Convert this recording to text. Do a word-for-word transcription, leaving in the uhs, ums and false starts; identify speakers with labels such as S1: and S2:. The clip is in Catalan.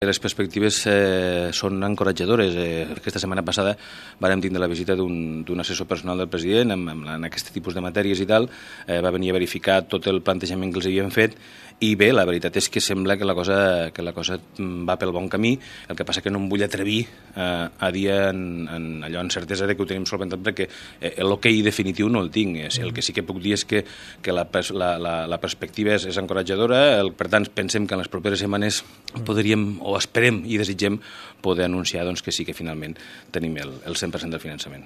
S1: Les perspectives eh, són encoratjadores. Eh, aquesta setmana passada vàrem tindre la visita d'un assessor personal del president en, en, en aquest tipus de matèries i tal. Eh, va venir a verificar tot el plantejament que els havíem fet i bé, la veritat és que sembla que la cosa, que la cosa va pel bon camí. El que passa que no em vull atrevir eh, a dir en, en allò en certesa de que ho tenim solventat perquè eh, l'hoquei definitiu no el tinc. El que sí que puc dir és que, que la, la, la, la perspectiva és, és encoratjadora. El, per tant, pensem que en les properes setmanes podríem o esperem i desitgem poder anunciar doncs, que sí que finalment tenim el, el cent per cent del finançament.